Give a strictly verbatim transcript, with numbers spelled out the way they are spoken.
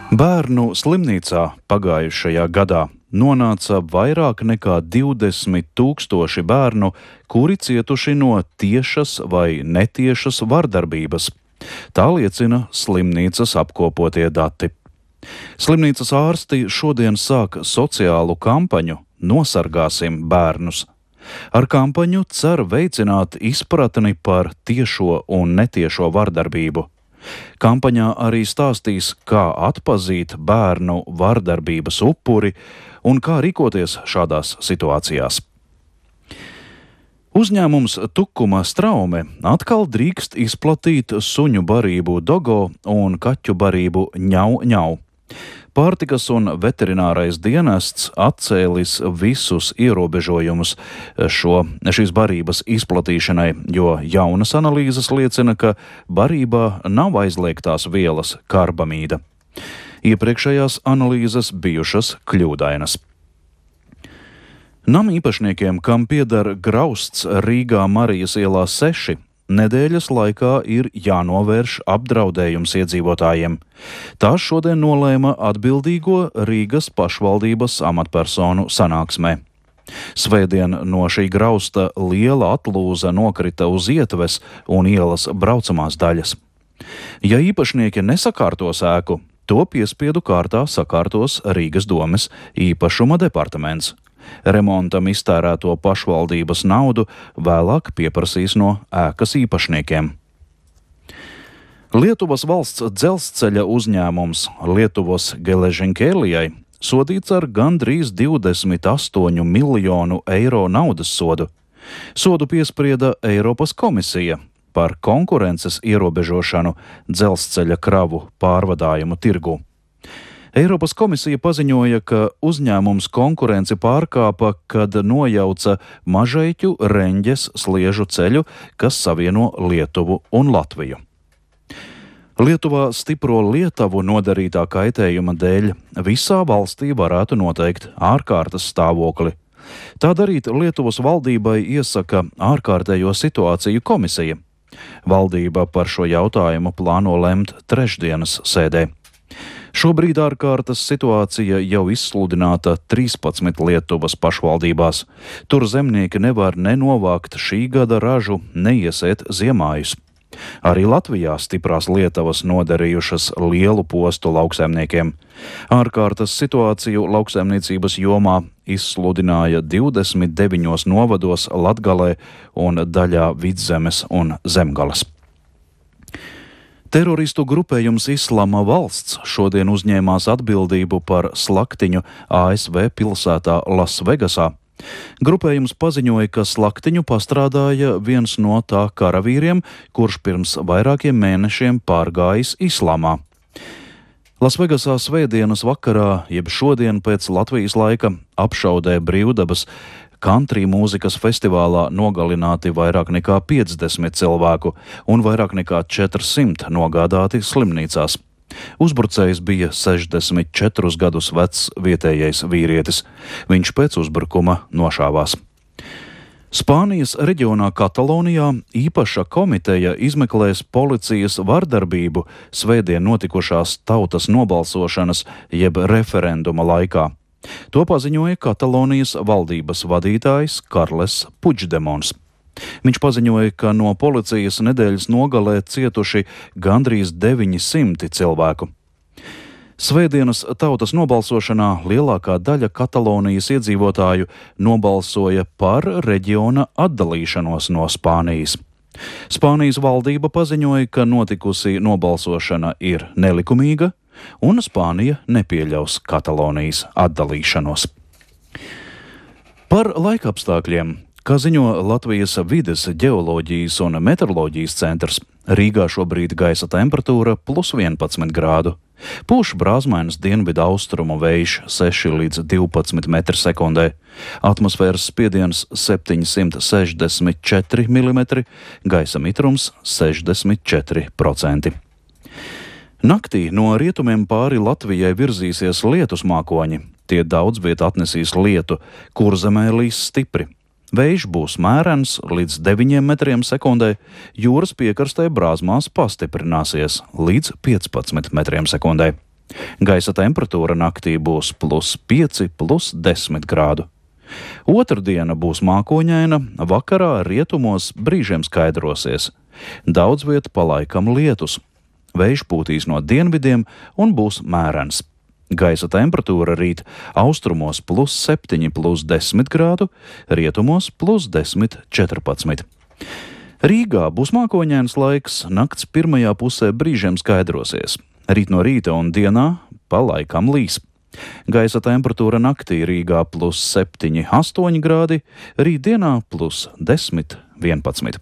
Bērnu slimnīcā pagājušajā gadā nonāca vairāk nekā divdesmit tūkstoši bērnu, kuri cietuši no tiešas vai netiešas vardarbības. Tā liecina slimnīcas apkopotie dati. Slimnīcas ārsti šodien sāk sociālu kampaņu Nosargāsim bērnus. Ar kampaņu cer veicināt izpratni par tiešo un netiešo vardarbību. Kampaņā arī stāstīs, kā atpazīt bērnu vardarbības upuri un kā rīkoties šādās situācijās. Uzņēmums Tukuma Straume atkal drīkst izplatīt suņu barību Dogo un kaķu barību Ņau Ņau. Pārtikas un veterinārais dienests atcēlis visus ierobežojumus šo, šīs barības izplatīšanai, jo jaunas analīzes liecina, ka barībā nav aizliegtās vielas karbamīda. Iepriekšējās analīzes bijušas kļūdainas. Nama īpašniekiem, kam pieder grausts Rīgā Marijas ielā seši, nedēļas laikā ir jānovērš apdraudējums iedzīvotājiem. Tā šodien nolēma atbildīgo Rīgas pašvaldības amatpersonu sanāksmē. Svētdien no šī grausta liela atlūza nokrita uz ietves un ielas braucamās daļas. Ja īpašnieki nesakārtos ēku, to piespiedu kārtā sakārtos Rīgas domes īpašuma departaments. Remontam iztērēto pašvaldības naudu vēlāk pieprasīs no ēkas īpašniekiem. Lietuvas valsts dzelzceļa uzņēmums Lietuvos Geležinkelijai sodīts ar gandrīz divdesmit astoņu miljonu eiro naudas sodu. Sodu piesprieda Eiropas komisija par konkurences ierobežošanu dzelzceļa kravu pārvadājumu tirgu. Eiropas komisija paziņoja, ka uzņēmums konkurenci pārkāpa, kad nojauca Mažeiķu Reņģes sliežu ceļu, kas savieno Lietuvu un Latviju. Lietuvā stipro Lietuvu nodarītā kaitējuma dēļ visā valstī varētu noteikt ārkārtas stāvokli. Tā darīt Lietuvas valdībai iesaka ārkārtējo situāciju komisija. Valdība par šo jautājumu plāno lemt trešdienas sēdē. Šobrīd ārkārtas situācija jau izsludināta trīspadsmit Lietuvas pašvaldībās. Tur zemnieki nevar nenovākt šī gada ražu, neiesēt ziemājus. Arī Latvijā stiprās lietavas nodarījušas lielu postu lauksaimniekiem. Ārkārtas situāciju lauksaimniecības jomā izsludināja divdesmit deviņos novados Latgalē un daļā Vidzemes un Zemgales. Teroristu grupējums Islama valsts šodien uzņēmās atbildību par slaktiņu A S V pilsētā Lasvegasā. Grupējums paziņoja, ka slaktiņu pastrādāja viens no tā karavīriem, kurš pirms vairākiem mēnešiem pārgājis islāmā. Lasvegasā svētdienas vakarā, jeb šodien pēc Latvijas laika, apšaudē brīvdabas Country mūzikas festivālā nogalināti vairāk nekā piecdesmit cilvēku un vairāk nekā četrsimt nogādāti slimnīcās. Uzbrucējs bija sešdesmit četrus gadus vecs vietējais vīrietis. Viņš pēc uzbrukuma nošāvās. Spānijas reģionā Katalonijā īpaša komiteja izmeklēs policijas vardarbību svētdien notikušās tautas nobalsošanas jeb referenduma laikā. To paziņoja Katalonijas valdības vadītājs Karles Puigdemons. Viņš paziņoja, ka no policijas nedēļas nogalē cietuši gandrīz deviņi simti cilvēku. Svētdienas tautas nobalsošanā lielākā daļa Katalonijas iedzīvotāju nobalsoja par reģiona atdalīšanos no Spānijas. Spānijas valdība paziņoja, ka notikusi nobalsošana ir nelikumīga, un Spānija nepieļaus Katalonijas atdalīšanos. Par laikapstākļiem, kā ziņo Latvijas vides, ģeoloģijas un meteoroloģijas centrs, Rīgā šobrīd gaisa temperatūra plus vienpadsmit grādu. Pūš brāzmainas dienvidu austrumu vējš seši līdz divpadsmit metri sekundē. Atmosfēras spiediens septiņsimt sešdesmit četri milimetri, gaisa mitrums sešdesmit četri procenti. Naktī no rietumiem pāri Latvijai virzīsies lietus mākoņi. Tie daudz viet atnesīs lietu, Kurzemē līs stipri. Vējš būs mērens līdz deviņiem metriem sekundē, jūras piekrastē brāzmās pastiprināsies līdz piecpadsmit metriem sekundē. Gaisa temperatūra naktī būs plus pieci, plus desmit grādu. Otrdiena būs mākoņaina, vakarā rietumos brīžiem skaidrosies. Daudz viet palaikam lietus. Vējš pūtīs no dienvidiem un būs mērens. Gaisa temperatūra rīt austrumos plus septiņi, plus desmit grādu, rietumos plus desmit, četrpadsmit. Rīgā būs mākoņains laiks, nakts pirmajā pusē brīžiem skaidrosies. Rīt no rīta un dienā pa laikam līs. Gaisa temperatūra naktī Rīgā plus septiņi, astoņi grādi, rītdienā plus desmit, vienpadsmit.